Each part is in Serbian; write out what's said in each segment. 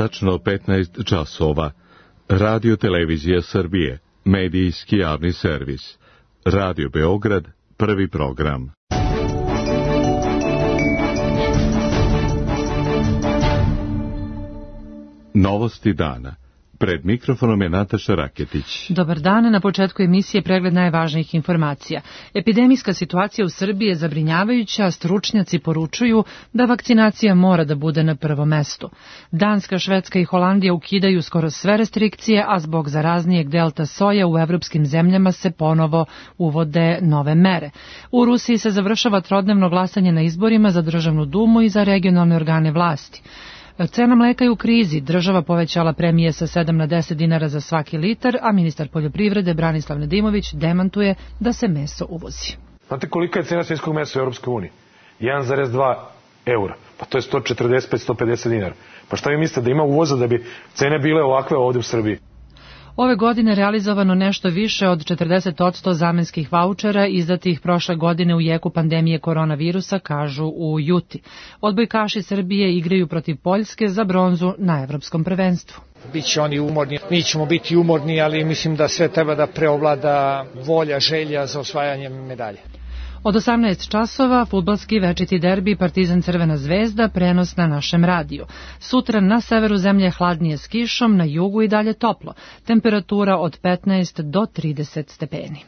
Tačno 15 časova. Radio Televizija Srbije, medijski javni servis. Radio Beograd, prvi program. Novosti dana. Pred mikrofonom je Nataša Raketić. Dobar dan, na početku emisije pregled najvažnijih informacija. Epidemijska situacija u Srbiji je zabrinjavajuća, stručnjaci poručuju da vakcinacija mora da bude na prvom mestu. Danska, Švedska i Holandija ukidaju skoro sve restrikcije, a zbog zaraznijeg delta soja u evropskim zemljama se ponovo uvode nove mere. U Rusiji se završava trodnevno glasanje na izborima za državnu dumu i za regionalne organe vlasti. Cena mleka je u krizi, država povećala premije sa 7 na 10 dinara za svaki litar, a ministar poljoprivrede Branislav Nedimović demantuje da se meso uvozi. Znate kolika je cena svinjskog mesa u Europskoj uniji? 1,2 eura. Pa to je 145-150 dinara. Pa šta vi mislite da ima uvoza da bi cene bile ovakve ovdje u Srbiji? Ove godine realizovano nešto više od 40% zamenskih vaučera izdatih prošle godine u jeku pandemije koronavirusa, kažu u Juti. Odbojkaši Srbije igraju protiv Poljske za bronzu na evropskom prvenstvu. Biće oni umorni, mi ćemo biti umorni, ali mislim da sve treba da preovlada volja, želja za osvajanjem medalje. Od 18 časova fudbalski večiti derbi Partizan Crvena zvezda, prenos na našem radiju. Sutra na severu zemlje hladnije s kišom, na jugu i dalje toplo. Temperatura od 15 do 30 stepeni.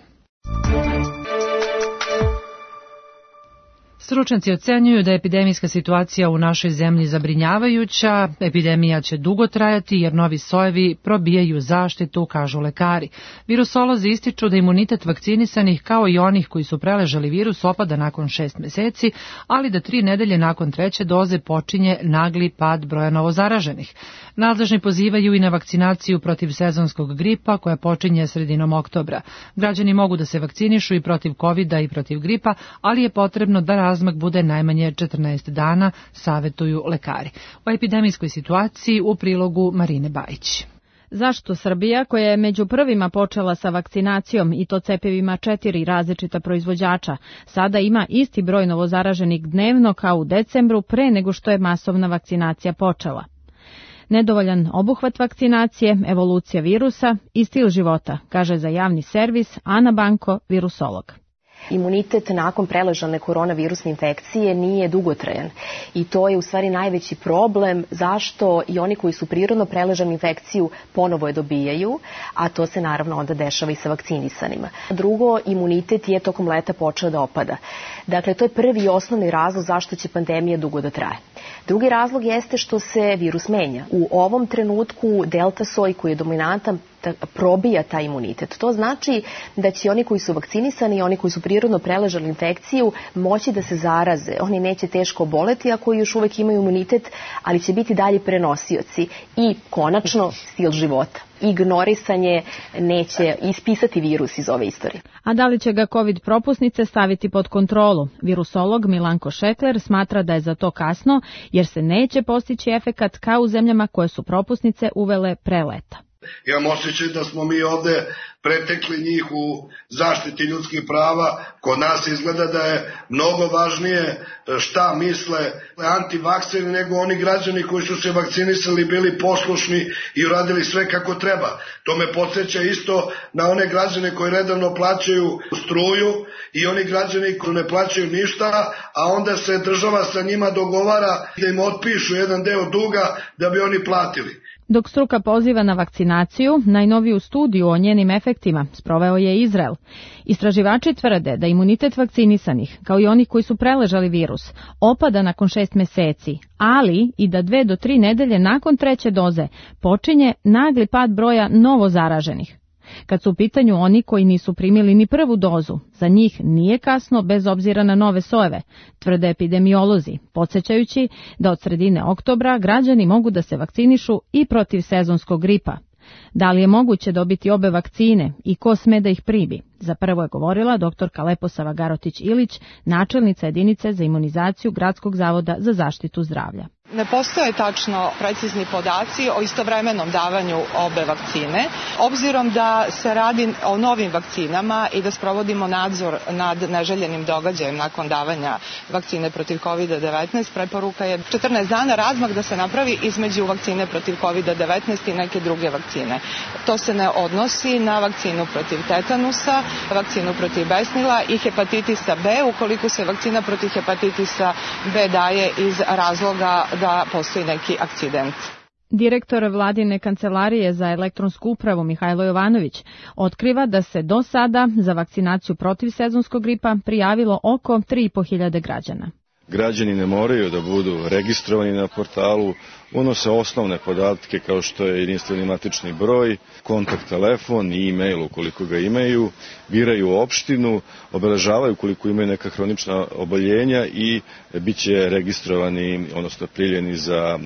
Stručnjaci ocenjuju da je epidemijska situacija u našoj zemlji zabrinjavajuća. Epidemija će dugo trajati jer novi sojevi probijaju zaštitu, kažu lekari. Virusolozi ističu da imunitet vakcinisanih kao i onih koji su preležali virus opada nakon 6 meseci, ali da 3 nedelje nakon 3. doze počinje nagli pad broja novozaraženih. Nadležni pozivaju i na vakcinaciju protiv sezonskog gripa koja počinje sredinom oktobra. Građani mogu da se vakcinišu i protiv covida i protiv gripa, ali je potrebno da razmak bude najmanje 14 dana, savetuju lekari. O epidemijskoj situaciji u prilogu Marine Bajić. Zašto Srbija, koja je među prvima počela sa vakcinacijom i to cepivima 4 različita proizvođača, sada ima isti broj novozaraženih dnevno kao u decembru pre nego što je masovna vakcinacija počela? Nedovoljan obuhvat vakcinacije, evolucija virusa i stil života, kaže za javni servis Ana Banko, virusolog. Imunitet nakon preležane koronavirusne infekcije nije dugotrajan i to je u stvari najveći problem zašto i oni koji su prirodno preležanu infekciju ponovo je dobijaju, a to se naravno onda dešava i sa vakcinisanima. Drugo, imunitet je tokom leta počeo da opada. Dakle, to je prvi i osnovni razlog zašto će pandemija dugo da traje. Drugi razlog jeste što se virus menja. U ovom trenutku delta soj koji je dominantan probija taj imunitet. To znači da će oni koji su vakcinisani i oni koji su prirodno preležali infekciju moći da se zaraze. Oni neće teško oboleti ako još uvek imaju imunitet, ali će biti dalje prenosioci. I konačno stil života. Ignorisanje neće ispisati virus iz ove istorije. A da li će ga COVID propusnice staviti pod kontrolu? Virusolog Milanko Šekler smatra da je za to kasno jer se neće postići efekat kao u zemljama koje su propusnice uvele pre leta. Imam osjećaj da smo mi ovde pretekli njih u zaštiti ljudskih prava. Kod nas izgleda da je mnogo važnije šta misle antivakseri nego oni građani koji su se vakcinisali, bili poslušni i uradili sve kako treba. To me podsjeća isto na one građane koji redovno plaćaju struju i oni građani koji ne plaćaju ništa, a onda se država sa njima dogovara da im otpišu jedan deo duga da bi oni platili. Dok struka poziva na vakcinaciju, najnoviju studiju o njenim efektima sproveo je Izrael. Istraživači tvrde da imunitet vakcinisanih, kao i oni koji su preležali virus, opada nakon 6 meseci, ali i da 2 do 3 nedelje nakon 3. doze počinje nagli pad broja novozaraženih. Kad su u pitanju oni koji nisu primili ni prvu dozu, za njih nije kasno bez obzira na nove sojeve, tvrde epidemiolozi, podsjećajući da od sredine oktobra građani mogu da se vakcinišu i protiv sezonskog gripa. Da li je moguće dobiti obe vakcine i ko sme da ih primi? Za prvo je govorila dr. Leposava Garotić-Ilić, načelnica jedinice za imunizaciju Gradskog zavoda za zaštitu zdravlja. Ne postoje tačno precizni podaci o istovremenom davanju obe vakcine. Obzirom da se radi o novim vakcinama i da sprovodimo nadzor nad neželjenim događajem nakon davanja vakcine protiv COVID-19, preporuka je 14 dana razmak da se napravi između vakcine protiv COVID-19 i neke druge vakcine. To se ne odnosi na vakcinu protiv tetanusa, vakcinu protiv besnila i hepatitisa B, ukoliko se vakcina protiv hepatitisa B daje iz razloga da postoji neki akcident. Direktor Vladine kancelarije za elektronsku upravu Mihajlo Jovanović otkriva da se do sada za vakcinaciju protiv sezonskog gripa prijavilo oko 3.500 građana. Građani ne moraju da budu registrovani na portalu, unose osnovne podatke kao što je jedinstveni matični broj, kontakt telefon i e-mail ukoliko ga imaju, biraju opštinu, obeležavaju koliko imaju neka hronična oboljenja i bit će registrovani, odnosno prijavljeni za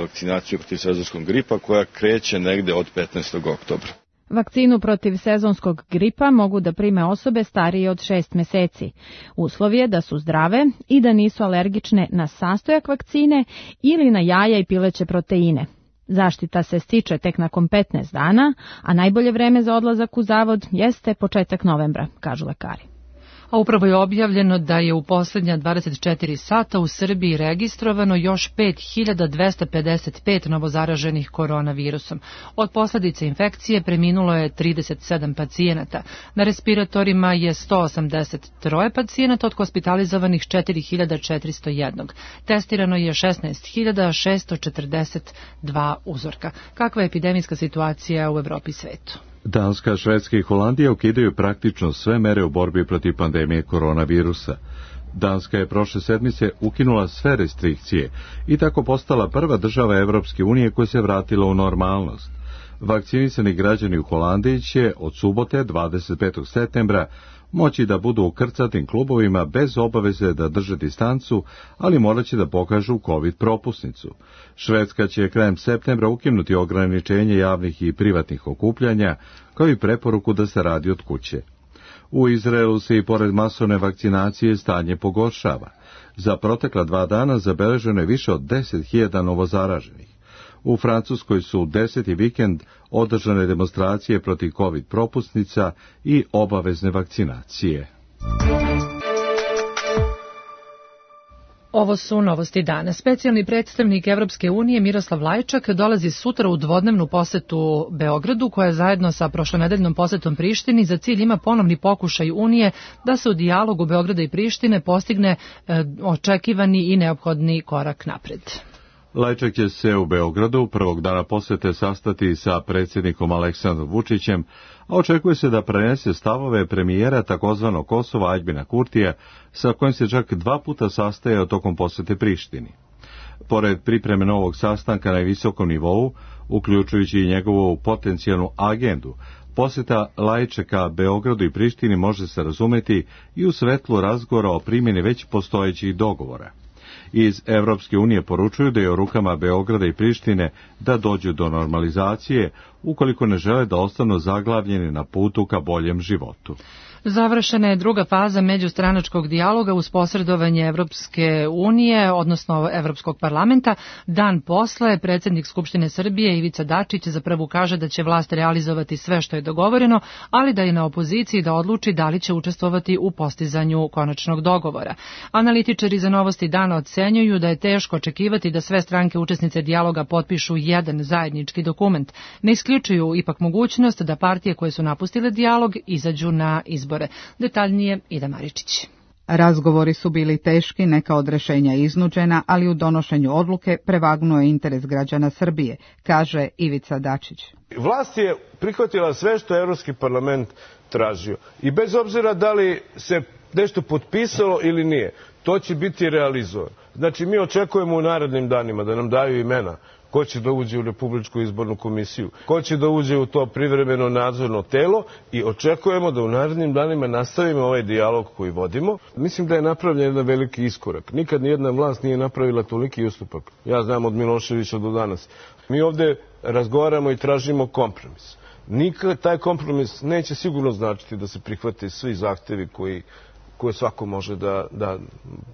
vakcinaciju protiv sezonskog gripa koja kreće negde od 15. oktobra. Vakcinu protiv sezonskog gripa mogu da prime osobe starije od 6 meseci. Uslov je da su zdrave i da nisu alergične na sastojak vakcine ili na jaja i pileće proteine. Zaštita se stiče tek nakon 15 dana, a najbolje vreme za odlazak u zavod jeste početak novembra, kažu lekari. A upravo je objavljeno da je u poslednja 24 sata u Srbiji registrovano još 5.255 novozaraženih koronavirusom. Od posledice infekcije preminulo je 37 pacijenata. Na respiratorima je 183 pacijenata, od hospitalizovanih 4.401. Testirano je 16.642 uzorka. Kakva je epidemijska situacija u Evropi i svetu? Danska, Švedska i Holandija ukidaju praktično sve mere u borbi protiv pandemije koronavirusa. Danska je prošle sedmice ukinula sve restrikcije i tako postala prva država Evropske unije koja se vratila u normalnost. Vakcinisani građani u Holandiji će od subote 25. septembra moći da budu u krcatim klubovima bez obaveze da drže distancu, ali morat će da pokažu COVID propusnicu. Švedska će krajem septembra ukinuti ograničenje javnih i privatnih okupljanja, kao i preporuku da se radi od kuće. U Izraelu se i pored masovne vakcinacije stanje pogoršava. Za protekla 2 dana zabeleženo je više od 10.000 novozaraženih. U Francuskoj su 10. vikend održane demonstracije protiv COVID propusnica i obavezne vakcinacije. Ovo su novosti dana. Specijalni predstavnik Evropske unije Miroslav Lajčak dolazi sutra u dvodnevnu posetu Beogradu, koja zajedno sa prošlonedeljnom posetom Prištini za cilj ima ponovni pokušaj Unije da se u dijalogu Beograda i Prištine postigne očekivani i neophodni korak napred. Lajčak će se u Beogradu prvog dana posete sastati sa predsjednikom Aleksandrom Vučićem, a očekuje se da prenese stavove premijera takozvanog Kosova Aljbina Kurtija, sa kojim se čak 2 puta sastajao tokom posete Prištini. Pored pripreme novog sastanka na visokom nivou, uključujući i njegovu potencijalnu agendu, poseta Lajčaka Beogradu i Prištini može se razumeti i u svetlu razgovora o primjeni već postojećih dogovora. Iz Evropske unije poručuju da je u rukama Beograda i Prištine da dođu do normalizacije, ukoliko ne žele da ostanu zaglavljeni na putu ka boljem životu. Završena je druga faza međustranačkog dijaloga uz posredovanje Evropske unije, odnosno Evropskog parlamenta. Dan posle predsjednik Skupštine Srbije Ivica Dačić za prvu kaže da će vlast realizovati sve što je dogovoreno, ali da je na opoziciji da odluči da li će učestvovati u postizanju konačnog dogovora. Analitičari za Novosti dana ocenjuju da je teško očekivati da sve stranke učesnice dijaloga potpišu jedan zajednički dokument. Ne isključuju ipak mogućnost da partije koje su napustile dijalog izađu na izbore. Detaljnije Ida Maričić. Razgovori su bili teški, neka od rešenja iznuđena, ali u donošenju odluke prevagnuo je interes građana Srbije, kaže Ivica Dačić. Vlast je prihvatila sve što je Evropski parlament tražio. I bez obzira da li se nešto potpisalo ili nije, to će biti realizovano. Znači, mi očekujemo u narednim danima da nam daju imena ko će da uđe u Republičku izbornu komisiju, ko će da uđe u to privremeno nadzorno telo i očekujemo da u narednim danima nastavimo ovaj dijalog koji vodimo. Mislim da je napravljen jedan veliki iskorak. Nikad nijedna vlast nije napravila toliki ustupak. Ja znam od Miloševića do danas. Mi ovde razgovaramo i tražimo kompromis. Nikad taj kompromis neće sigurno značiti da se prihvate svi zahtevi koji koju svako može da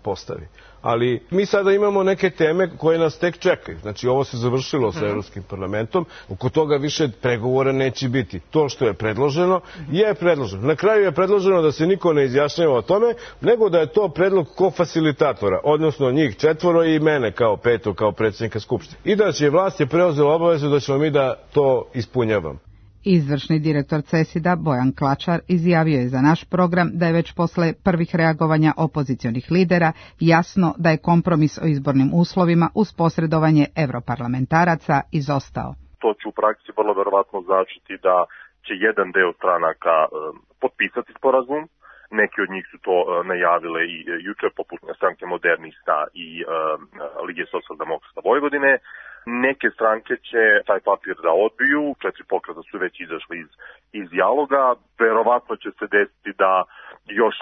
postavi. Ali mi sada imamo neke teme koje nas tek čekaju. Znači, ovo se završilo sa Evropskim parlamentom, oko toga više pregovora neće biti. To što je predloženo, je predloženo. Na kraju je predloženo da se niko ne izjašnjava o tome, nego da je to predlog kofacilitatora, odnosno njih 4 i mene kao 5. kao predsjednika Skupštine. I da će vlast je preuzela obavezu da ćemo mi da to ispunjavamo. Izvršni direktor CESID-a Bojan Klačar izjavio je za naš program da je već posle prvih reagovanja opozicionih lidera jasno da je kompromis o izbornim uslovima uz posredovanje evroparlamentaraca izostao. To će u praksi vrlo verovatno značiti da će jedan deo stranaka potpisati sporazum. Neki od njih su to najavile i juče, poput stranke Modernista i Lige socijaldemokrata Vojvodine. Neke stranke će taj papir da odbiju, 4 pokreta su već izašli iz dijaloga. Verovatno će se desiti da još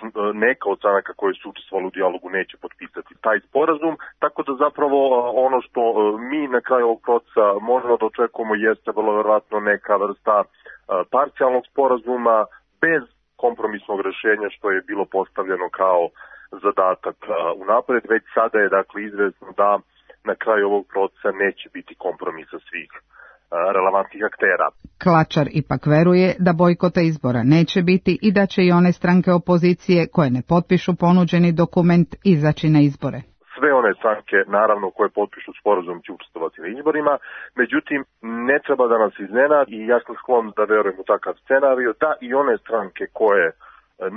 neka od stranaka koje su učestvovali u dijalogu neće potpisati taj sporazum, tako da zapravo ono što mi na kraju ovog procesa možemo da očekujemo jeste vrlo verovatno neka vrsta parcijalnog sporazuma bez kompromisnog rešenja što je bilo postavljeno kao zadatak unapred. Već sada je dakle izvesno da na kraju ovog procesa neće biti kompromisa svih relevantnih aktera. Klačar ipak veruje da bojkota izbora neće biti i da će i one stranke opozicije koje ne potpišu ponuđeni dokument izaći na izbore. Sve one stranke, naravno, koje potpišu sporazum će učestvovati na izborima, međutim, ne treba da nas iznenadi i ja sam sklon da verujem u takav scenarij, da i one stranke koje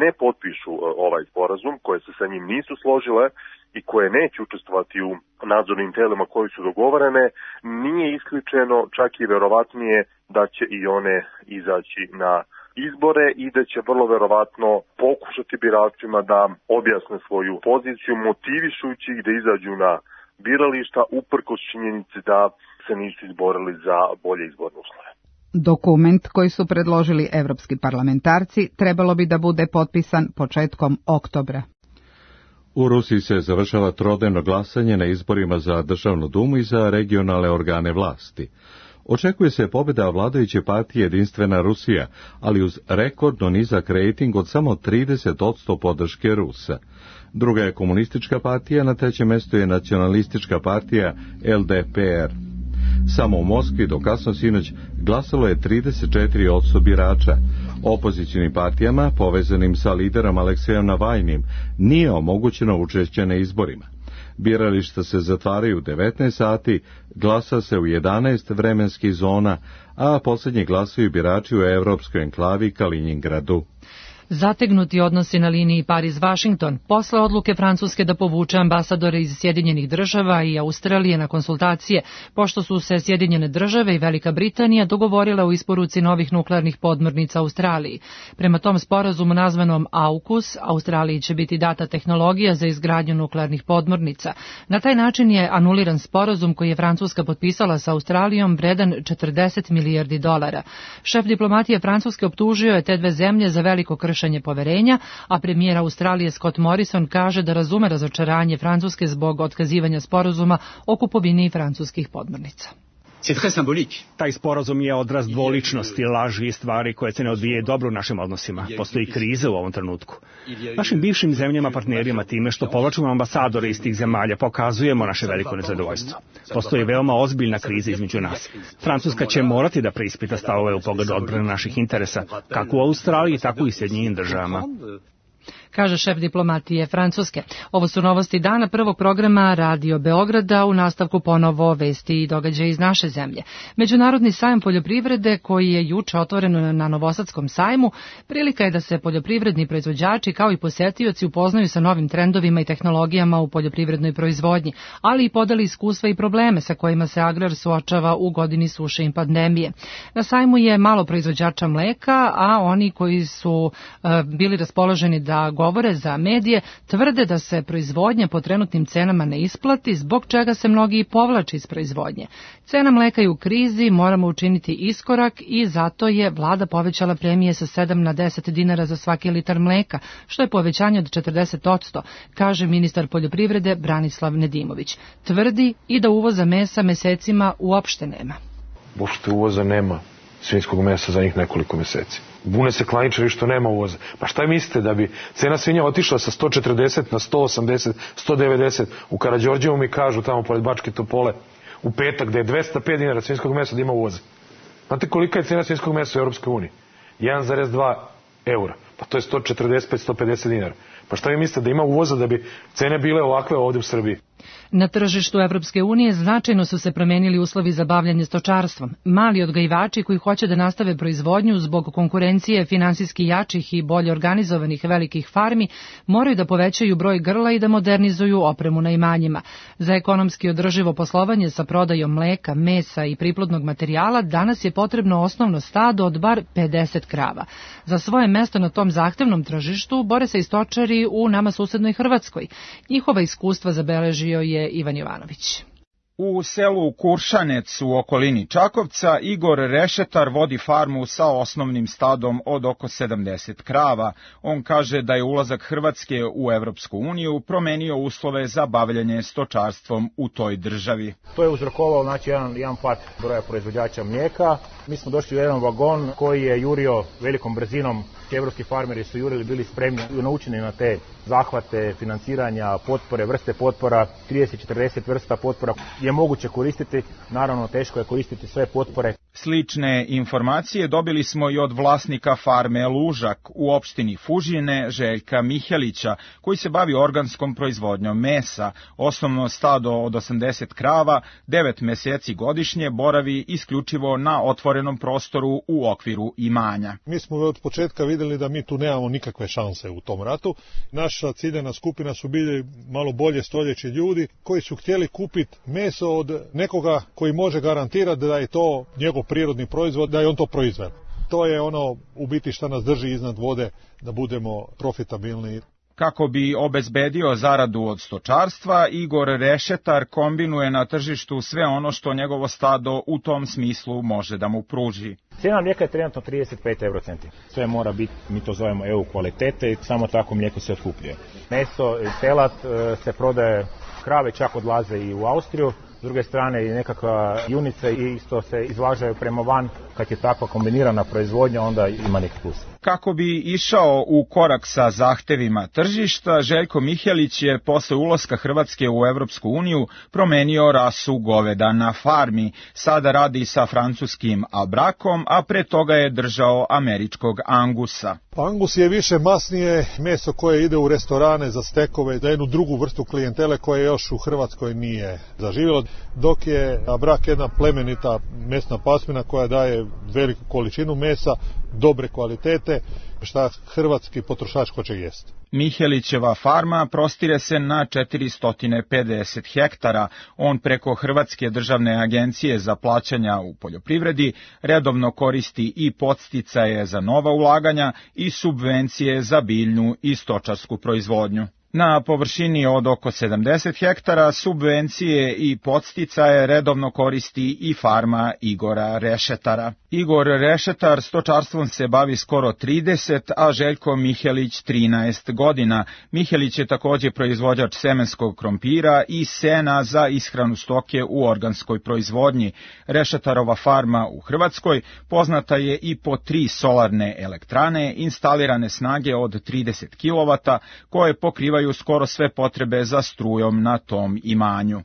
ne potpišu ovaj sporazum, koje se sa njim nisu složile i koje neće učestvovati u nadzornim telima koji su dogovorene, nije isključeno, čak i verovatnije da će i one izaći na izbore i da će vrlo verovatno pokušati biračima da objasne svoju poziciju, motivišujući ih da izađu na birališta uprkos činjenici da se nisu izborili za bolje izborne uslove. Dokument koji su predložili evropski parlamentarci trebalo bi da bude potpisan početkom oktobra. U Rusiji se završava trodnevno glasanje na izborima za Državnu dumu i za regionalne organe vlasti. Očekuje se pobjeda vladajuće partije Jedinstvena Rusija, ali uz rekordno nizak rejting od samo 30% podrške Rusa. Druga je komunistička partija, na trećem mjestu je nacionalistička partija LDPR. Samo u Moskvi do kasno sinoć glasalo je 34% birača. Opozicionim partijama, povezanim sa liderom Aleksejom Navajnim, nije omogućeno učešće na izborima. Birališta se zatvaraju u 19 sati, glasa se u 11 vremenskih zona, a posljednji glasuju birači u evropskoj enklavi Kaliningradu. Zategnuti odnosi na liniji Pariz-Vašington posle odluke Francuske da povuče ambasadore iz Sjedinjenih država i Australije na konsultacije, pošto su se Sjedinjene države i Velika Britanija dogovorile o isporuci novih nuklearnih podmornica Australiji. Prema tom sporazumu nazvanom AUKUS, Australiji će biti data tehnologija za izgradnju nuklearnih podmornica. Na taj način je anuliran sporazum koji je Francuska potpisala sa Australijom vredan $40 milijardi. Šef diplomatije Francuske optužio je te dve zemlje za veliko kršenje poverenja, a premijer Australije Scott Morrison kaže da razume razočaranje Francuske zbog otkazivanja sporazuma o kupovini francuskih podmornica. Taj sporazum je odraz dvoličnosti, laži i stvari koje se ne odvijaju dobro u našim odnosima. Postoji kriza u ovom trenutku. Našim bivšim zemljama partnerima time što povlačimo ambasadore iz tih zemalja pokazujemo naše veliko nezadovoljstvo. Postoji veoma ozbiljna kriza između nas. Francuska će morati da preispita stavove u pogledu odbrane naših interesa, kako u Australiji, tako i Sjedinjenim državama, kaže šef diplomatije Francuske. Ovo su novosti dana prvog programa Radio Beograda, u nastavku ponovo vesti i događaje iz naše zemlje. Međunarodni sajam poljoprivrede koji je juče otvoren na Novosadskom sajmu, prilika je da se poljoprivredni proizvođači kao i posetioci upoznaju sa novim trendovima i tehnologijama u poljoprivrednoj proizvodnji, ali i podeli iskustva i probleme sa kojima se agrar suočava u godini suše i pandemije. Na sajmu je malo proizvođača mleka, a oni koji su bili raspoloženi da govore za medije tvrde da se proizvodnja po trenutnim cenama ne isplati, zbog čega se mnogi i povlače iz proizvodnje. Cena mleka je u krizi, moramo učiniti iskorak i zato je vlada povećala premije sa 7 na 10 dinara za svaki litar mleka, što je povećanje od 40%, kaže ministar poljoprivrede Branislav Nedimović. Tvrdi i da uvoza mesa mesecima uopšte nema. Uopšte uvoza nema. svinjskog mesa za njih nekoliko meseci. Bune se klaničari što nema uvoza. Pa šta mislite, da bi cena svinja otišla sa 140 na 180, 190, u Karađorđevu mi kažu tamo pored Bačke Topole u petak da je 205 dinara svinjskog mesa da ima uvoza. Znate kolika je cena svinjskog mesa u Europskoj uniji? 1,2 eura. Pa to je 145-150 dinara. Pa šta vi mislite, da ima uvoza da bi cene bile ovakve ovde u Srbiji? Na tržištu Evropske unije značajno su se promenili uslovi za bavljanje stočarstvom. Mali odgajivači koji hoće da nastave proizvodnju zbog konkurencije finansijski jačih i bolje organizovanih velikih farmi moraju da povećaju broj grla i da modernizuju opremu na imanjima. Za ekonomski održivo poslovanje sa prodajom mleka, mesa i priplodnog materijala danas je potrebno osnovno stado od bar 50 krava. Za svoje mesto na tom zahtevnom tržištu bore se i stočari u nama susednoj Hrvatskoj. Njihova iskustva zabeležio je Ivan Jovanović. U selu Kuršanec u okolini Čakovca Igor Rešetar vodi farmu sa osnovnim stadom od oko 70 krava. On kaže da je ulazak Hrvatske u Evropsku uniju promenio uslove za bavljanje stočarstvom u toj državi. To je uzrokovalo jedan pad broja proizvođača mlijeka. Mi smo došli u jedan vagon koji je jurio velikom brzinom. Evropski farmeri su jurili, bili spremni i naučeni na te zahvate, financiranja, potpore, vrste potpora, 30-40 vrsta potpora je moguće koristiti, naravno teško je koristiti sve potpore. Slične informacije dobili smo i od vlasnika farme Lužak u opštini Fužine, Željka Mihelića, koji se bavi organskom proizvodnjom mesa. Osnovno stado od 80 krava, 9 meseci godišnje boravi isključivo na otvorenom prostoru u okviru imanja. Mi smo od početka vidjeli da mi tu nemamo nikakve šanse u tom ratu. Naša ciljana skupina su bili malo bolje stoljeći ljudi koji su htjeli kupiti meso od nekoga koji može garantirati da je to njegov prirodni proizvod, da je on to proizveo. To je ono u biti što nas drži iznad vode, da budemo profitabilni. Kako bi obezbedio zaradu od stočarstva, Igor Rešetar kombinuje na tržištu sve ono što njegovo stado u tom smislu može da mu pruži. Cijena mlijeka je trenutno 35 eurocenti. Sve mora biti, mi to zovemo EU kvalitete i samo tako mlijeko se otkupljuje. Meso i telad se prodaje, krave čak odlaze i u Austriju. S druge strane i nekakva junica isto se izvažaju prema van. Kad je takva kombinirana proizvodnja, onda ima neki plus. Kako bi išao u korak sa zahtevima tržišta, Željko Mihelić je posle ulaska Hrvatske u Evropsku uniju promenio rasu goveda na farmi. Sada radi sa francuskim Abrakom, a pre toga je držao američkog Angusa. Angus je više masnije meso koje ide u restorane za stekove, za jednu drugu vrstu klijentele koja još u Hrvatskoj nije zaživjela, dok je Abrak jedna plemenita mesna pasmina koja daje veliku količinu mesa, dobre kvalitete, šta hrvatski potrošač hoće jesti. Mihelićeva farma prostire se na 450 hektara. On preko Hrvatske državne agencije za plaćanja u poljoprivredi redovno koristi i podsticaje za nova ulaganja i subvencije za biljnu i stočarsku proizvodnju. Na površini od oko 70 hektara subvencije i podsticaje redovno koristi i farma Igora Rešetara. Igor Rešetar stočarstvom se bavi skoro 30, a Željko Mihelić 13 godina. Mihelić je također proizvođač semenskog krompira i sena za ishranu stoke u organskoj proizvodnji. Rešetarova farma u Hrvatskoj poznata je i po 3 solarne elektrane instalirane snage od 30 kW koje pokrivaju skoro sve potrebe za strujom na tom imanju.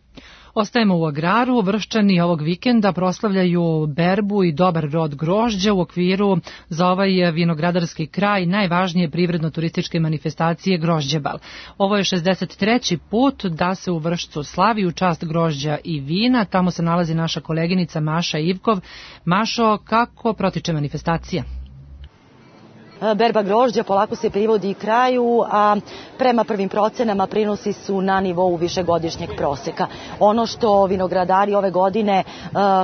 Ostajemo u agraru. Vrščani ovog vikenda proslavljaju berbu i dobar rod grožđa u okviru za ovaj vinogradarski kraj najvažnije privredno-turističke manifestacije Grožđebal. Ovo je 63. put da se u Vršcu slavi u čast grožđa i vina. Tamo se nalazi naša koleginica Maša Ivkov. Mašo, kako protiče manifestacija? Berba grožđa polako se privodi kraju, a prema prvim procenama prinosi su na nivou višegodišnjeg proseka. Ono što vinogradari ove godine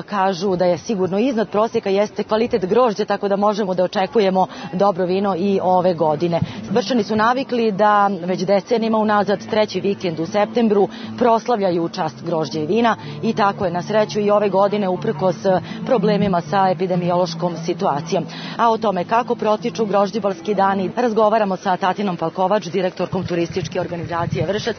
kažu da je sigurno iznad proseka jeste kvalitet grožđa, tako da možemo da očekujemo dobro vino i ove godine. Vrščani su navikli da već decenijima unazad 3. vikend u septembru proslavljaju u čast grožđa i vina i tako je na sreću i ove godine uprkos problemima sa epidemiološkom situacijom. A o tome kako protiču Grožđebalski dani razgovaramo sa Tatinom Palkovač, direktorkom turističke organizacije Vršac.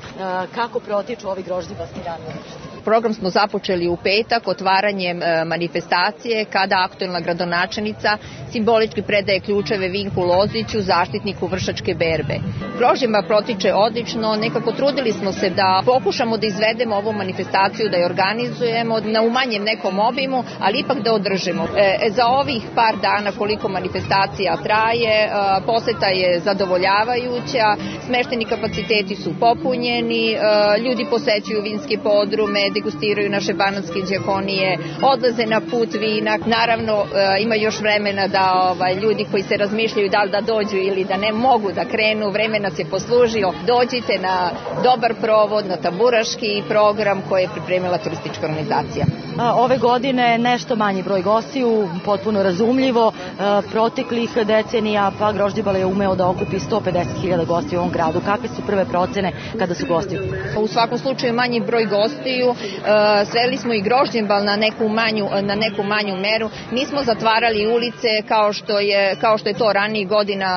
Kako protiču ovi grožđebalski dani u Vršcu? program smo započeli u petak otvaranjem manifestacije kada aktuelna gradonačelnica simbolički predaje ključeve Vinku Loziću, zaštitniku Vršačke berbe. Grožđenba protiče odlično, nekako trudili smo se da pokušamo da izvedemo ovu manifestaciju, da je organizujemo na umanjem nekom obimu, ali ipak da održimo. Za ovih par dana koliko manifestacija traje, poseta je zadovoljavajuća, smešteni kapaciteti su popunjeni, ljudi posećuju vinske podrume, degustiraju naše banatske đakonije, odlaze na put vina. Naravno, ima još vremena da ljudi koji se razmišljaju da li da dođu ili da ne mogu da krenu, vreme nas je poslužio. Dođite na dobar provod, na tamburaški program koji je pripremila turistička organizacija. Ove godine nešto manji broj gostiju, potpuno razumljivo. Proteklih decenija pa Grožđebala je umeo da okupi 150.000 gostiju u ovom gradu. Kakve su prve procene kada su gosti? U svakom slučaju manji broj gostiju, sveli smo i Grožđebal na neku manju meru. Nismo zatvarali ulice kao što je to ranijih godina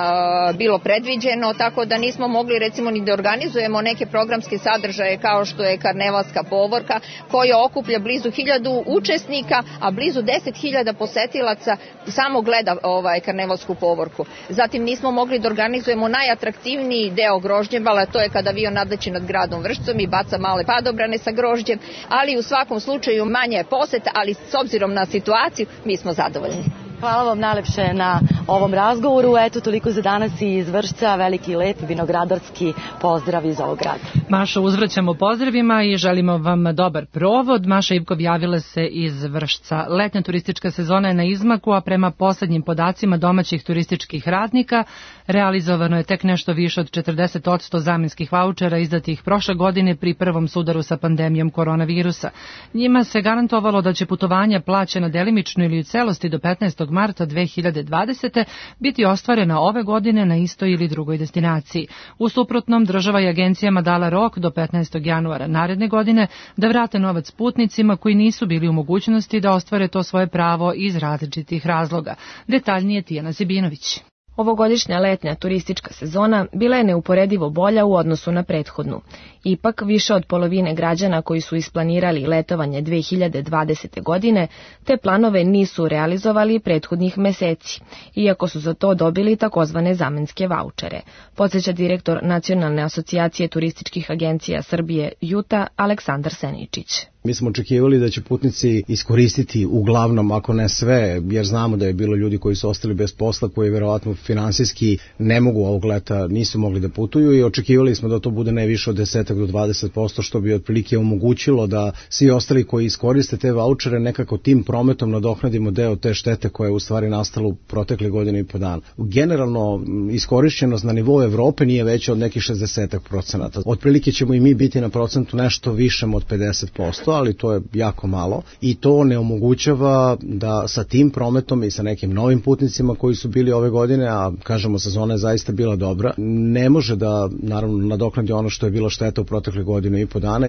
bilo predviđeno, tako da nismo mogli recimo ni da organizujemo neke programske sadržaje kao što je karnevalska povorka koja okuplja blizu 1000 učesnika, a blizu 10.000 posetilaca samo gleda karnevalsku povorku. Zatim nismo mogli da organizujemo najatraktivniji deo Grožđebala, to je kada avion nadleći nad gradom Vršcom i baca male padobrane sa grožđem, ali u svakom slučaju manja je poseta, ali s obzirom na situaciju mi smo zadovoljni. Hvala vam najlepše na ovom razgovoru. Eto, toliko za danas iz Vršca. Veliki, lep, vinogradarski pozdrav iz ovog grada. Maša, uzvraćamo pozdravima i želimo vam dobar provod. Maša Ivkov javila se iz Vršca. Letnja turistička sezona je na izmaku, a prema poslednjim podacima domaćih turističkih radnika realizovano je tek nešto više od 40% zamenskih vaučera izdatih prošle godine pri prvom sudaru sa pandemijom koronavirusa. Njima se garantovalo da će putovanja plaćena delimično ili u celosti do 15. marta 2020. biti ostvarena ove godine na istoj ili drugoj destinaciji. U suprotnom, država je agencijama dala rok do 15. januara naredne godine da vrate novac putnicima koji nisu bili u mogućnosti da ostvare to svoje pravo iz različitih razloga. Detaljnije Tijana Zibinović. Ovogodišnja letnja turistička sezona bila je neuporedivo bolja u odnosu na prethodnu. Ipak, više od polovine građana koji su isplanirali letovanje 2020. godine, te planove nisu realizovali prethodnih meseci, iako su za to dobili takozvane zamenske vaučere, podsjeća direktor Nacionalne asocijacije turističkih agencija Srbije JUTA Aleksandar Seničić. Mi smo očekivali da će putnici iskoristiti uglavnom, ako ne sve, jer znamo da je bilo ljudi koji su ostali bez posla, koji verovatno finansijski ne mogu ovog leta, nisu mogli da putuju i očekivali smo da to bude ne više od 10 do 20%, što bi otprilike omogućilo da svi ostali koji iskoriste te vaučere nekako tim prometom nadoknadimo deo te štete koja je u stvari nastala u protekle godine i po dana. Generalno, iskorišćenost na nivou Evrope nije veća od nekih 60%. Otprilike ćemo i mi biti na procentu nešto višem od 50%, ali to je jako malo i to ne omogućava da sa tim prometom i sa nekim novim putnicima koji su bili ove godine, a kažemo sezona je zaista bila dobra, ne može da naravno nadoknadi ono što je bilo šteta u protekle godine i po dana.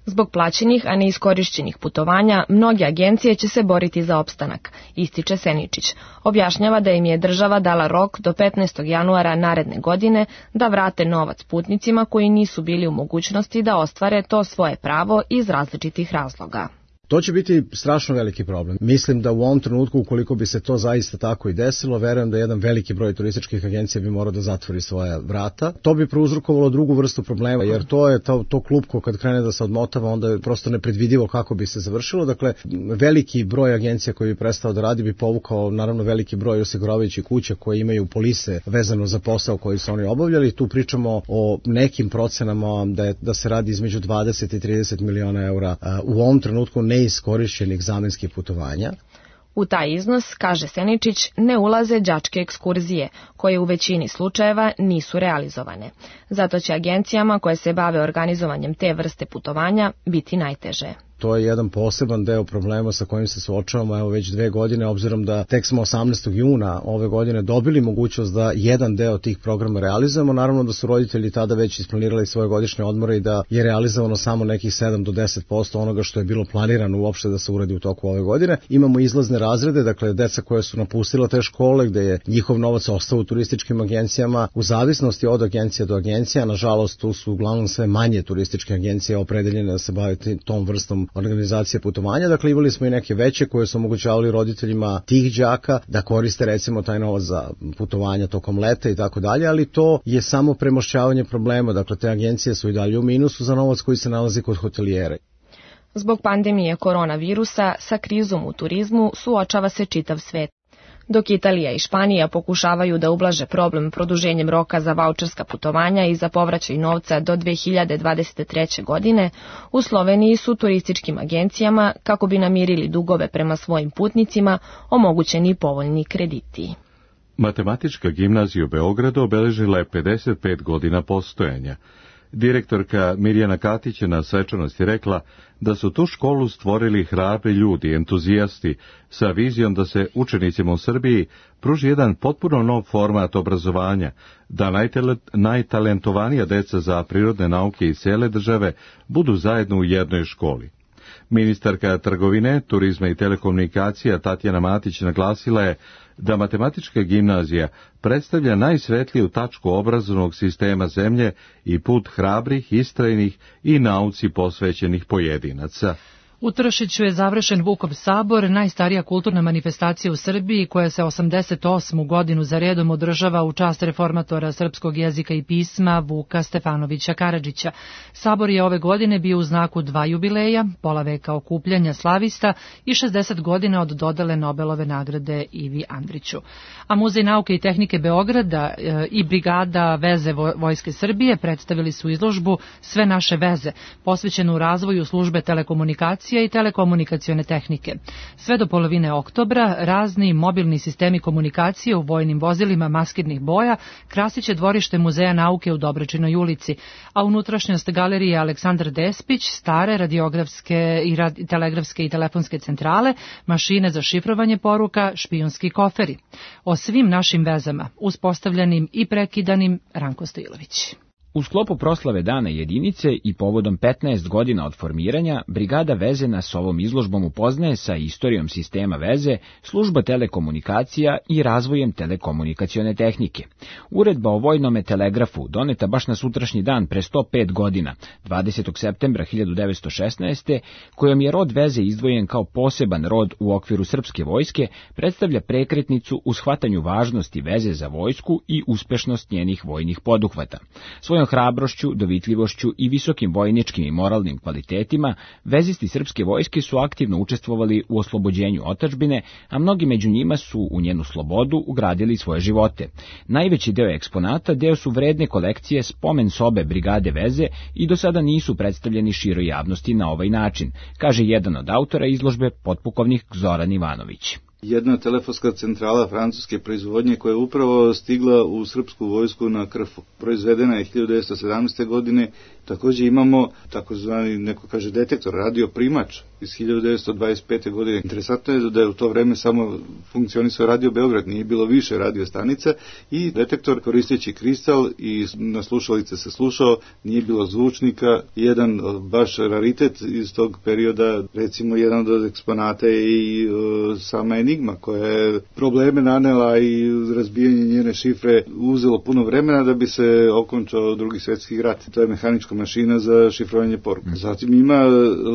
Zbog plaćenih, a neiskorišćenih putovanja, mnoge agencije će se boriti za opstanak, ističe Seničić. Objašnjava da im je država dala rok do 15. januara naredne godine da vrate novac putnicima koji nisu bili u mogućnosti da ostvare to svoje pravo iz različitih razloga. To će biti strašno veliki problem. Mislim da u ovom trenutku, ukoliko bi se to zaista tako i desilo, verujem da jedan veliki broj turističkih agencija bi morao da zatvori svoja vrata. To bi prouzrokovalo drugu vrstu problema, jer to je to klupko kad krene da se odmotava, onda je prosto nepredvidivo kako bi se završilo. Dakle, veliki broj agencija koji bi prestao da radi bi povukao, naravno, veliki broj osiguravajućih kuća koji imaju polise vezano za posao koji su oni obavljali. Tu pričamo o nekim procenama da se radi između 20 i 30 miliona eura u ovom trenutku neiskorišćenih zamenskih putovanja. U taj iznos, kaže Seničić, ne ulaze đačke ekskurzije, koje u većini slučajeva nisu realizovane. Zato će agencijama koje se bave organizovanjem te vrste putovanja biti najteže. To je jedan poseban deo problema sa kojim se suočavamo evo već 2 godine, obzirom da tek smo 18. juna ove godine dobili mogućnost da jedan deo tih programa realizujemo. Naravno da su roditelji tada već isplanirali svoje godišnje odmore i da je realizovano samo nekih 7 do 10% onoga što je bilo planirano uopšte da se uradi u toku ove godine. Imamo izlazne razrede, dakle deca koja su napustila te škole gde je njihov novac ostao u turističkim agencijama u zavisnosti od agencija do agencija. Nažalost, tu su uglavnom sve manje turističke agencije opredeljene da se bave tom vrstom organizacije putovanja. Dakle, imali smo i neke veće koje su omogućavali roditeljima tih đaka da koriste recimo taj novac za putovanja tokom leta i tako dalje, ali to je samo premošćavanje problema. Dakle, te agencije su i dalje u minusu za novac koji se nalazi kod hotelijera. Zbog pandemije koronavirusa sa krizom u turizmu suočava se čitav svet. Dok Italija i Španija pokušavaju da ublaže problem produženjem roka za vaučerska putovanja i za povraćaj novca do 2023. godine, u Sloveniji su turističkim agencijama, kako bi namirili dugove prema svojim putnicima, omogućeni povoljni krediti. Matematička gimnazija u Beogradu obeležila je 55 godina postojanja. Direktorka Mirjana Katić je na svečanosti rekla da su tu školu stvorili hrabri ljudi, entuzijasti, sa vizijom da se učenicima u Srbiji pruži jedan potpuno nov format obrazovanja, da najtalentovanija deca za prirodne nauke iz cele države budu zajedno u jednoj školi. Ministarka trgovine, turizma i telekomunikacija Tatjana Matić naglasila je da matematička gimnazija predstavlja najsvetliju tačku obrazovnog sistema zemlje i put hrabrih, istrajnih i nauci posvećenih pojedinaca. U Tršiću je završen Vukov sabor, najstarija kulturna manifestacija u Srbiji koja se 88. godinu za redom održava u čast reformatora srpskog jezika i pisma Vuka Stefanovića Karadžića. Sabor je ove godine bio u znaku 2 jubileja, pola veka okupljanja slavista i 60 godina od dodele Nobelove nagrade Ivi Andriću. A Muzej nauke i tehnike Beograda i Brigada veze Vojske Srbije predstavili su izložbu Sve naše veze, posvećenu razvoju službe telekomunikacije i telekomunikacione tehnike. Sve do polovine oktobra razni mobilni sistemi komunikacije u vojnim vozilima maskirnih boja krasiće dvorište Muzeja nauke u Dobračinoj ulici, a unutrašnjost galerije Aleksandar Despić, stare radiografske i telegrafske i telefonske centrale, mašine za šifrovanje poruka, špijunski koferi. O svim našim vezama, uspostavljenim i prekidanim, Ranko Stojilović. U sklopu proslave Dana jedinice i povodom 15 godina od formiranja, Brigada veze nas ovom izložbom upoznaje sa istorijom sistema veze, služba telekomunikacija i razvojem telekomunikacione tehnike. Uredba o vojnome telegrafu, doneta baš na sutrašnji dan pre 105 godina, 20. septembra 1916. kojom je rod veze izdvojen kao poseban rod u okviru srpske vojske, predstavlja prekretnicu u shvatanju važnosti veze za vojsku i uspešnost njenih vojnih poduhvata. Svojom hrabrošću, dovitljivošću i visokim vojničkim i moralnim kvalitetima, vezisti srpske vojske su aktivno učestvovali u oslobođenju otadžbine, a mnogi među njima su u njenu slobodu ugradili svoje živote. Najveći deo eksponata deo su vredne kolekcije spomen sobe Brigade veze i do sada nisu predstavljeni široj javnosti na ovaj način, kaže jedan od autora izložbe, potpukovnik Zoran Ivanović. Jedna telefonska centrala francuske proizvodnje koja je upravo stigla u srpsku vojsku na Krfu. Proizvedena je 1917. godine. Također imamo takozvani, neko kaže, detektor, radioprimač iz 1925. godine. Interesantno je da je u to vreme samo funkcionisao Radio Beograd, nije bilo više radiostanica i detektor koristeći kristal i na slušalice se slušao, nije bilo zvučnika. Jedan baš raritet iz tog perioda, recimo jedan od eksponata je i sama Enigma koja je probleme nanela i razbijanje njene šifre uzelo puno vremena da bi se okončao Drugi svjetski rat. To je mehanička mašina za šifrovanje poruka. Zatim ima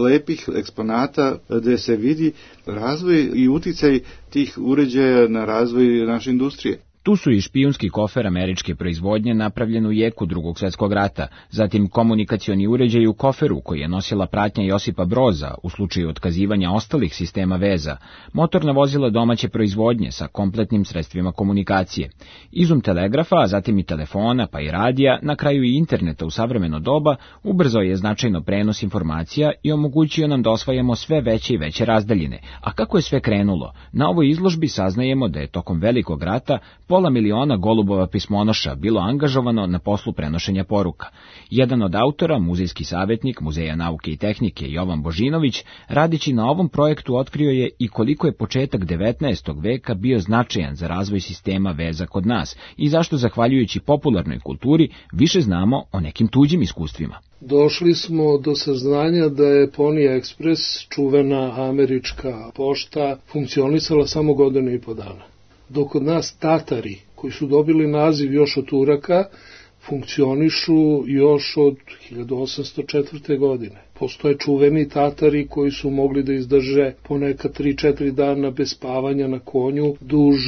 lepih eksponata gde se vidi razvoj i uticaj tih uređaja na razvoj naše industrije. Tu su i špijunski kofer američke proizvodnje napravljen u jeku Drugog svjetskog rata, zatim komunikacioni uređaj u koferu koji je nosila pratnja Josipa Broza u slučaju otkazivanja ostalih sistema veza, motorna vozila domaće proizvodnje sa kompletnim sredstvima komunikacije, izum telegrafa, a zatim i telefona pa i radija, na kraju i interneta u savremeno doba, ubrzao je značajno prenos informacija i omogućio nam da osvajamo sve veće i veće razdaljine. A kako je sve krenulo? Na ovoj izložbi saznajemo da je tokom Velikog rata 500.000 golubova pismonoša bilo angažovano na poslu prenošenja poruka. Jedan od autora, muzejski savjetnik Muzeja nauke i tehnike Jovan Božinović, radići na ovom projektu otkrio je i koliko je početak 19. veka bio značajan za razvoj sistema veza kod nas i zašto, zahvaljujući popularnoj kulturi, više znamo o nekim tuđim iskustvima. Došli smo do saznanja da je Pony Express, čuvena američka pošta, funkcionisala samo 1,5 godine. Dok kod nas Tatari, koji su dobili naziv još od Turaka, funkcionišu još od 1804. godine. Postoje čuveni Tatari koji su mogli da izdrže ponekad 3-4 dana bez spavanja na konju. Duž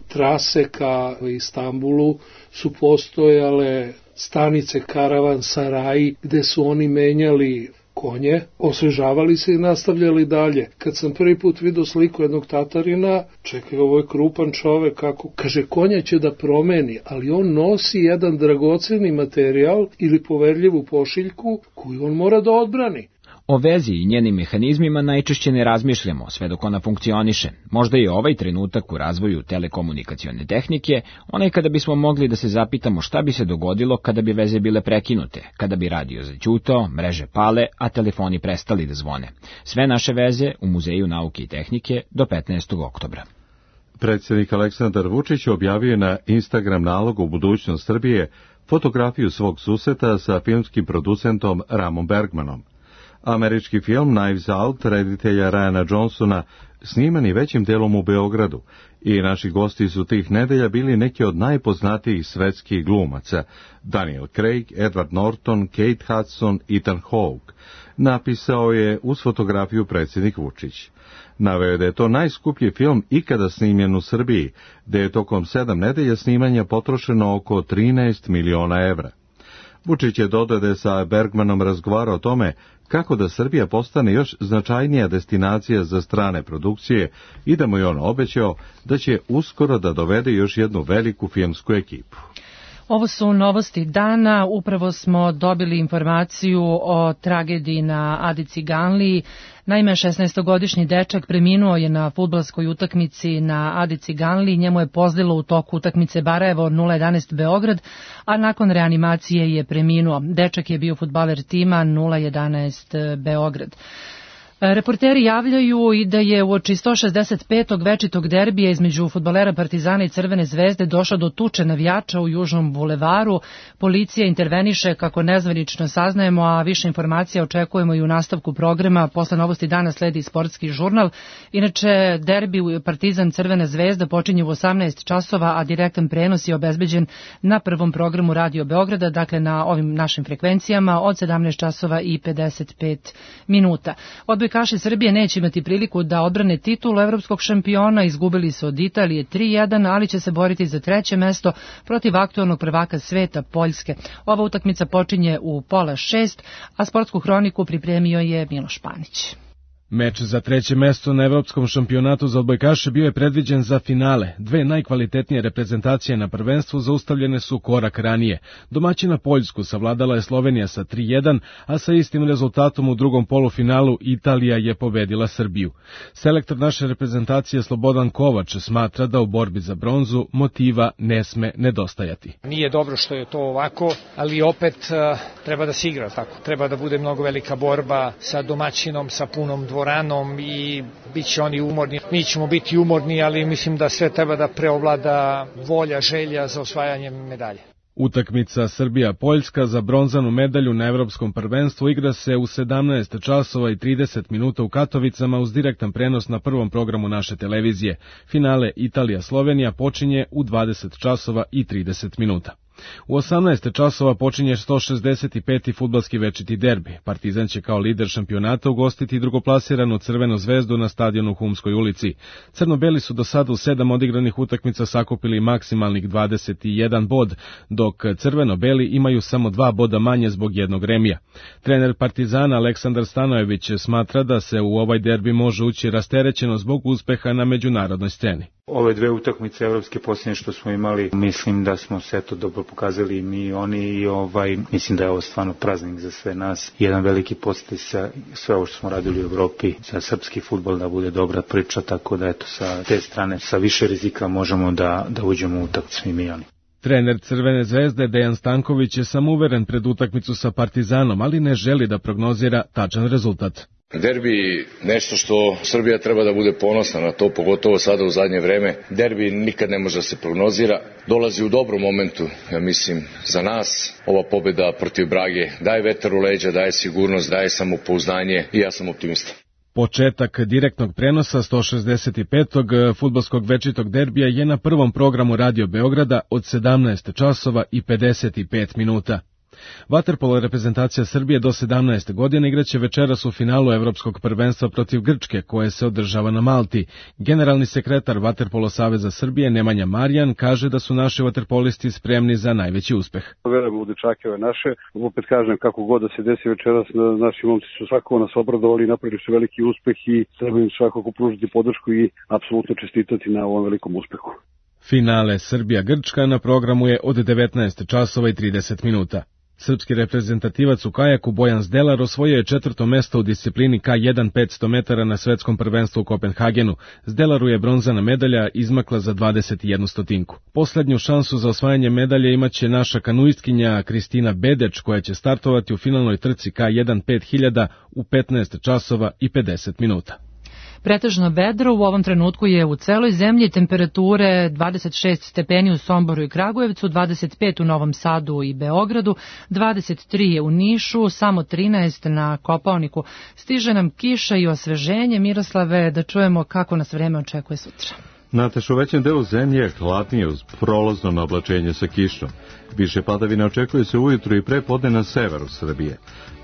trase ka Istanbulu su postojale stanice karavan-saraji gde su oni menjali konje, osvežavali se i nastavljali dalje. Kad sam prvi put vidio sliku jednog Tatarina, čekaj, ovo je krupan čovek, kako, kaže, konja će da promeni, ali on nosi jedan dragoceni materijal ili poverljivu pošiljku koju on mora da odbrani. O vezi i njenim mehanizmima najčešće ne razmišljamo sve dok ona funkcioniše. Možda je ovaj trenutak u razvoju telekomunikacione tehnike onaj kada bismo mogli da se zapitamo šta bi se dogodilo kada bi veze bile prekinute, kada bi radio zaćutao, mreže pale, a telefoni prestali da zvone. Sve naše veze u Muzeju nauke i tehnike do 15. oktobra. Predsjednik Aleksandar Vučić objavio je na Instagram nalogu Budućnost Srbije fotografiju svog susreta sa filmskim producentom Ramom Bergmanom. Američki film Knives Out reditelja Ryana Johnsona sniman je većim delom u Beogradu i naši gosti su tih nedelja bili neki od najpoznatijih svetskih glumaca: Daniel Craig, Edward Norton, Kate Hudson, Ethan Hawke, napisao je uz fotografiju predsjednik Vučić. Naveo je da je to najskuplji film ikada snimljen u Srbiji, da je tokom 7 nedelja snimanja potrošeno oko 13 miliona evra. Vučić je dodao da je sa Bergmanom razgovarao o tome kako da Srbija postane još značajnija destinacija za strane produkcije i da mu je on obećao da će uskoro da dovede još jednu veliku filmsku ekipu. Ovo su novosti dana. Upravo smo dobili informaciju o tragediji na Adi Ciganliji. Naime, 16-godišnji dečak preminuo je na fudbalskoj utakmici na Adi Ciganliji. Njemu je pozlilo u toku utakmice Barajevo 0-11 Beograd, a nakon reanimacije je preminuo. Dečak je bio fudbaler tima 0-11 Beograd. Reporteri javljaju i da je uoči 165. večitog derbija između fudbalera Partizana i Crvene zvezde došlo do tuče navijača u Južnom bulevaru. Policija interveniše, kako nezvanično saznajemo, a više informacija očekujemo i u nastavku programa. Posle novosti dana sledi sportski žurnal. Inače, derbi Partizan Crvena zvezda počinje u 18 časova, a direktan prenos je obezbeđen na prvom programu Radio Beograda, dakle na ovim našim frekvencijama od 17 časova i 55 minuta. Odbojkaši Srbije neće imati priliku da odbrane titulu evropskog šampiona, izgubili su od Italije 3-1, ali će se boriti za 3. mesto protiv aktualnog prvaka sveta Poljske. Ova utakmica počinje u 5:30, a sportsku hroniku pripremio je Miloš Panić. Meč za 3. mesto na evropskom šampionatu za odbojkaše bio je predviđen za finale. Dve najkvalitetnije reprezentacije na prvenstvu zaustavljene su korak ranije. Domaćina Poljsku savladala je Slovenija sa 3:1, a sa istim rezultatom u drugom polufinalu Italija je pobedila Srbiju. Selektor naše reprezentacije Slobodan Kovač smatra da u borbi za bronzu motiva ne sme nedostajati. Nije dobro što je to ovako, ali opet treba da se igra tako. Treba da bude mnogo velika borba sa domaćinom, sa punom dvoranom i bit će oni umorni. Mi ćemo biti umorni, ali mislim da sve treba da preovlada volja, želja za osvajanjem medalje. Utakmica Srbija-Poljska za bronzanu medalju na evropskom prvenstvu igra se u 17 časova i 30 minuta u Katovicama uz direktan prenos na prvom programu naše televizije. Finale Italija-Slovenija počinje u 20 časova i 30 minuta. U 18 časova počinje 165. fudbalski večiti derbi. Partizan će kao lider šampionata ugostiti drugoplasiranu Crvenu zvezdu na stadionu u Humskoj ulici. Crno-beli su do sada u 7 odigranih utakmica sakupili maksimalnih 21 bod, dok crveno-beli imaju samo 2 boda manje zbog jednog remija. Trener Partizana Aleksandar Stanojević smatra da se u ovaj derbi može ući rasterećeno zbog uspeha na međunarodnoj sceni. Ove dve utakmice evropske posljednje što smo imali, mislim da smo sve to dobro pokazali mi i oni i mislim da je ovo stvarno praznik za sve nas. Jedan veliki posljedic sa sve ovo što smo radili u Evropi za srpski fudbal da bude dobra priča, tako da eto sa te strane sa više rizika možemo da uđemo u utakmicu i mi i oni. Trener Crvene zvezde Dejan Stanković je samouveren pred utakmicu sa Partizanom, ali ne želi da prognozira tačan rezultat. Derbi nešto što Srbija treba da bude ponosna na to, pogotovo sada u zadnje vreme. Derbi nikad ne može da se prognozira. Dolazi u dobrom momentu, ja mislim, za nas. Ova pobjeda protiv Brage daje vetar u leđa, daje sigurnost, daje samopouzdanje i ja sam optimista. Početak direktnog prenosa 165. fudbalskog večitog derbija je na prvom programu Radio Beograda od 17 časova i 55 minuta. Vaterpolo reprezentacija Srbije do 17. godine igraće večeras u finalu Evropskog prvenstva protiv Grčke, koje se održava na Malti. Generalni sekretar Vaterpolo Saveza Srbije Nemanja Marjan kaže da su naši vaterpolisti spremni za najveći uspeh. Verujemo u dečake ove naše. Opet kažem, kako god da se desi večeras, naši momci su svakako nas obradovali, napravili su veliki uspeh i treba im svakako pružiti podršku i apsolutno čestitati na ovom velikom uspehu. Finale Srbija-Grčka na programu je od 19 časova i 30 minuta. Srpski reprezentativac u kajaku Bojan Zdelar osvojio je 4. mesto u disciplini K1 500 metara na svetskom prvenstvu u Kopenhagenu. Zdelaru je bronzana medalja izmakla za 21 stotinku. Poslednju šansu za osvajanje medalje imaće naša kanuistkinja Kristina Bedeč, koja će startovati u finalnoj trci K1 5000 u 15 časova i 50 minuta. Pretežno vedro, u ovom trenutku je u celoj zemlji, temperature 26 stepeni u Somboru i Kragujevcu, 25 u Novom Sadu i Beogradu, 23 je u Nišu, samo 13 na Kopaoniku. Stiže nam kiša i osveženje. Miroslave, da čujemo kako nas vreme očekuje sutra. Nataš, u većem delu zemlje je hladnije uz prolazno naoblačenje sa kišom. Više padavina očekuje se ujutru i prepodne na severu Srbije.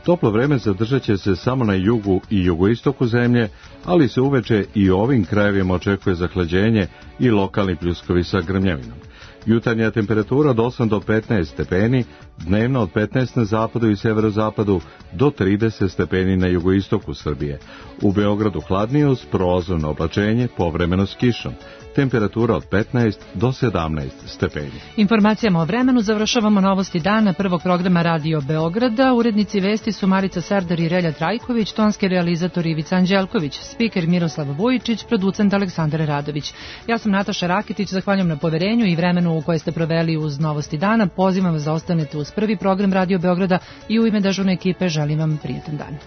Toplo vreme zadržat će se samo na jugu i jugoistoku zemlje, ali se uveče i ovim krajevima očekuje zahlađenje i lokalni pljuskovi sa grmljavinom. Jutarnja temperatura od 8 do 15 stepeni, dnevno od 15 na zapadu i severozapadu do 30 stepeni na jugoistoku Srbije. U Beogradu hladnije uz prolazno oblačenje, povremeno s kišom. Temperatura od 15 do 17 stepeni. Informacijama o vremenu završavamo novosti dana prvog programa Radio Beograda. Urednici vesti su Marica Serdar i Relja Trajković, tonski realizator Ivica Anđelković, spiker Miroslav Vujičić, producent Aleksandar Radović. Ja sam Nataša Rakitić, zahvaljujem na poverenju i vremenu u koje ste proveli uz novosti dana. Pozivam vas da ostanete uz prvi program Radio Beograda i u ime dežurne ekipe želim vam prijetan dan.